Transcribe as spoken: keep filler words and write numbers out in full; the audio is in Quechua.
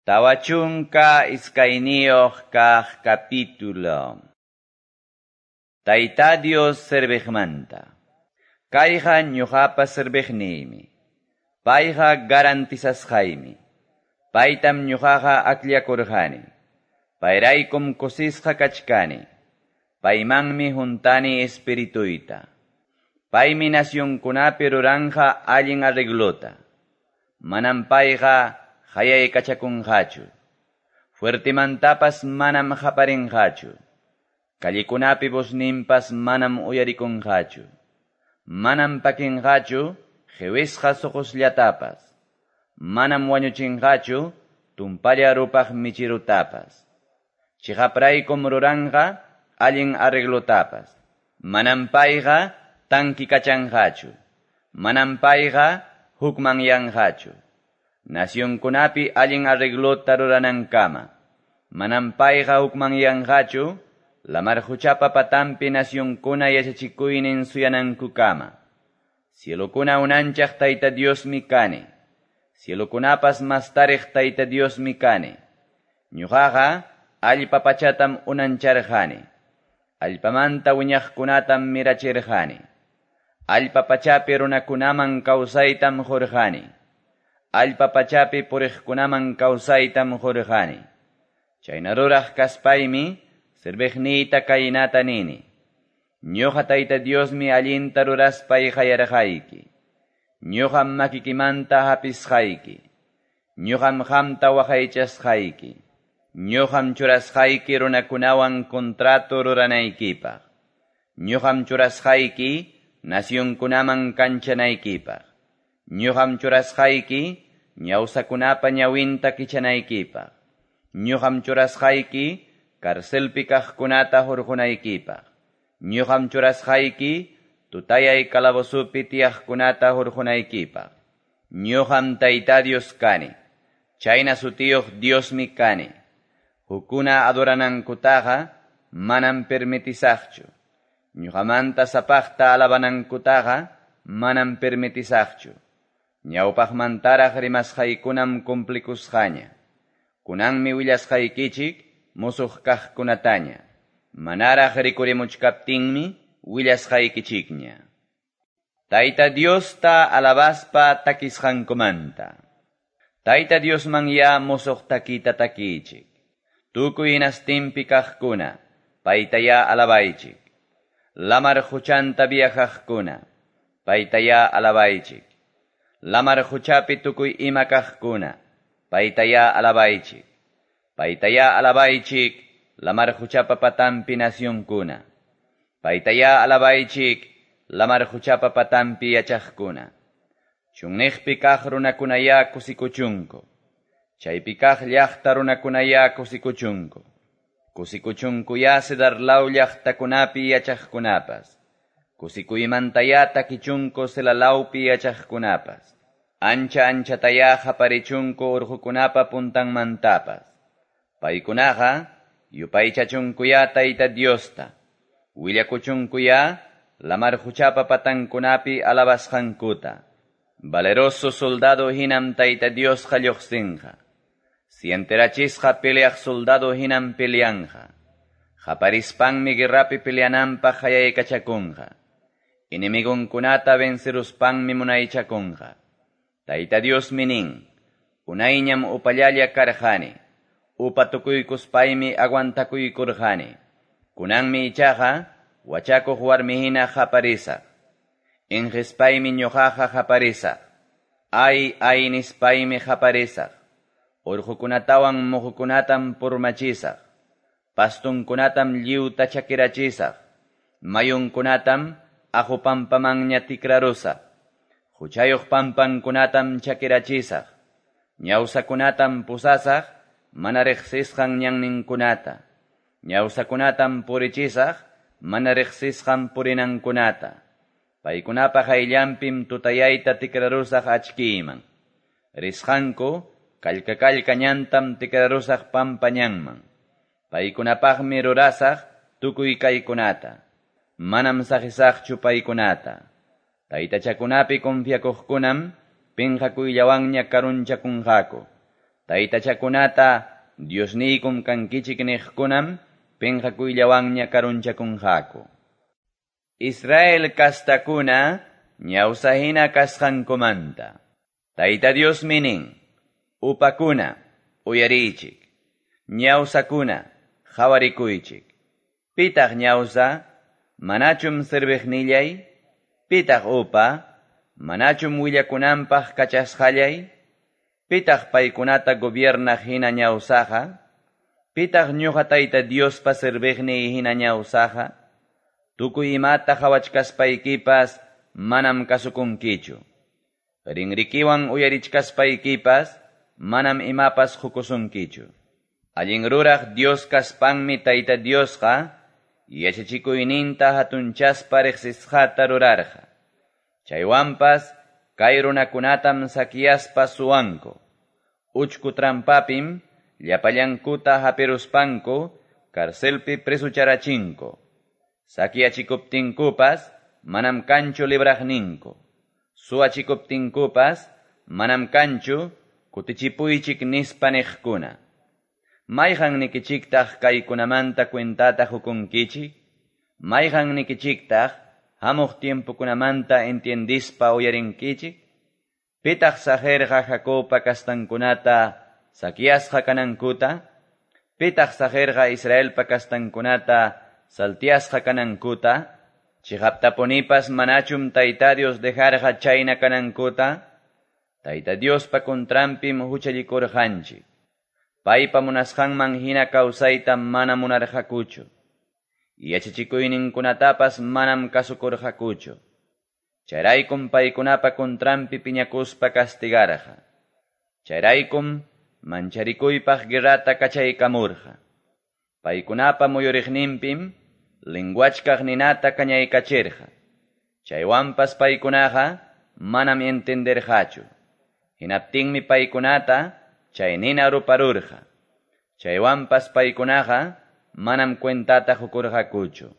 Tawa chunka iskayniyuq kaq capítulo. Tayta Dios serviqmanta. Kayqa ñuqapa serviqniymi. Payqa garantizasqaymi. Paytam ñuqaqa akllakurqani. Payraykum kusisqa kachkani. Paymanmi huntani espirituyta. Paymi nacionkunapi ruranja allin arreglota. Manam payqa qayaykachakunqachu. Fuertimantapas manam qaparinqachu. Callikunapi vozninpas manam uyarikunqachu. Manam pakinqachu qiwisqa suqusllatapas. Manam wañuchinqachu tumpalla rupaq michirutapas. Chiqapraykum ruranqa allin arreglotapas. Manam payqa tankikachanqachu. Manam payqa hukmanyanqachu. Nacionkunapi allin arreglota ruranankama. Manam payqa hukmanyanqachu lamar quchapa patampi nacionkuna yachachikuynin suyanankukama. Cielokuna unanchaq Tayta Diosmi kani. Cielokunapas mastariq Tayta Diosmi kani. Ñuqaqa allpa pachatam unancharqani. Allpamanta wiñaqkunatam mirachirqani. Allpa pachapi runakunaman kawsaytam qurqani. Allpa pachapi puriqkunaman kawsaytam qurqani. Chayna ruraq kaspaymi serviqniyta kaynata nini. Ñuqa Tayta Diosmi allinta ruraspay qayarqayki. Ñuqam makikimanta hapisqayki. Ñuqam qamta waqaychasqayki. Ñuqam churasqayki runakunawan contrato ruranaykipaq. Ñuqam churasqayki nacionkunaman kanchanaykipaq. Ñuqam churasqayki ñawsakunapa ñawinta kichanaykipaq. Ñuqam churasqayki carcelpi kaqkunata hurqunaykipaq. Ñuqam churasqayki tutayay calabozupi tiyaqkunata hurqunaykipaq. Ñuqam Tayta Dios kani. Chayna sutiyuq Diosmi kani. Hukuna adoranankutaqa manam permitisaqchu. Ñuqamanta sapaqta alabanankutaqa manam permitisaqchu. Ñawpaqmantaraq rimasqaykunam cumplikusqaña. Kunanmi willasqaykichik musuq kaqkunataña. Manaraq rikurimuchkaptinmi willasqaykichikña. Tayta Diosta alabaspa takisqankumanta. Tayta Diosman ya musuq takita takichik. Tukuy hinastinpi kaqkuna, paytaya alabaychik. Lamar quchanta viajaqkuna, paytaya alabaychik. Lamar quchapi tukuy ima kaqkuna, paytaya alabaychik. Paytaya alabaychik, lamar quchapa patampi nacionkuna. Paytaya alabaychik, lamar quchapa patampi yachaqkuna. Chunniqpi kaq runakunaya kusikuchunku. Chaypi kaq llaqta runakunaya kusikuchunku. Kusikuchunkuya Cedarlaw llaqtakunapi yachaqkunapas. Kusikuymantaya takichunku Selalawpi yachaqkunapas. Ancha anchataya qaparichunku urqukunapa puntanmantapas. Paykunaqa yupaychachunkuya Tayta Diosta. Willakuchunkuya lamar quchapa patankunapi alabasqankuta. Valeroso soldado hinam Tayta Diosqa lluqsinqa. Sienterachisqa peleaq soldado hinam peleanja. Qaparispanmi guerrapi peleananpaq qayaykachakunqa. Enemigonkunata venceruspanmi munaychakunqa. Tayta Diosmi nin, unayñam upallalla karqani. Upa tukuykuspaymi aguantakuykurqani. Kunanmi ichaqa wachakuq warmi hina qaparisaq. Inqispaymi ñuqaqa qaparisaq. Ay, ay nispaymi qaparisaq. Urqukunatawan muhukunatam purmachisaq. Pastunkunatam lliwta chakirachisaq. Mayunkunatam aqu pampamanña tikrarusaq. Huchayuq pampankunatam chakirachisaq. Ñawsakunatam pusasaq mana riqsisqan ñanninkunata. Ñawsakunatam purichisaq mana riqsisqan purinankunata. Paykunapa qayllanpim tutayayta tikrarusaq achkiyman. Risqanku kallka-kallka ñantam tikrarusaq pampa ñanman. Paykunapaqmi rurasaq tukuy kaykunata. Manam saqisaqchu paykunata. Taytachakunapi confiakuqkunam pinqakuyllawanña karunchakunqaku. Taytachakunata Diosniykum kankichik niqkunam penqakuyllawanña karunchakunqaku. Israel kastakuna ñawsa hina kasqankumanta. Tayta Diosmi nin, upakuna, uyariychik. Ñawsakuna, qawarikuychik. Pitaq ñawsa, manachum serviqnillay? Pitaq upa, manachum willakunanpaq kachasqallay? Pitaq paykunata gobiernaq hina ñawsaqa? Pitaq ñuqa Tayta Diospa serviqniy hina ñawsaqa? Tukuy imata qawachkaspaykipas manam kasukunkichu. Rinrikiwan uyarichkaspaykipas manam imapas qukusunkichu. Allin ruraq Dios kaspanmi Tayta Diosqa yachachikuyninta hatunchaspa riqsisqata rurarqa. Chaywanpas kay runakunatam saqueaspa suwanku. Uchku trampapim llapallankuta hapiruspanku carcelpi presucharachinku. Saqueachikuptinkupas manam kanchu libraqninku. Suwachikuptinkupas manam kanchu kutichipuychik nispa niqkuna. Mayqan nikichiktaq kaykunamanta cuentata qukunkichik? Mayqan nikichiktaq hamuq tiempokunamanta entiendispa uyarinkichik? Pitaq saqirqa Jacobpa kastankunata saqueasqa kanankuta? Pitaq saqirqa Israelpa kastankunata saltiasqa kanankuta? Chiqaptapunipas manachum Tayta Dios dejarqa chayna kanankuta? Tayta Diospa contranpim huchallikurqanchik. Paypa munasqanman hina kawsayta mana munarqakuchu. Yachachikuyninkunatapas manam kasukurqakuchu. Chayraykum paykunapa contranpi piñakuspa castigarqa. Chayraykum mancharikuypaq guerrata kachaykamurqa. Paykunapa muyuriqninpim linguachkaq ninata kañaykachirqa. Chaywanpas paykunaqa manam entenderqachu. Hinaptinmi paykunata chay nina ruparurqa. Chaywanpas paykunaqa manam cuentata qukurqakuchu.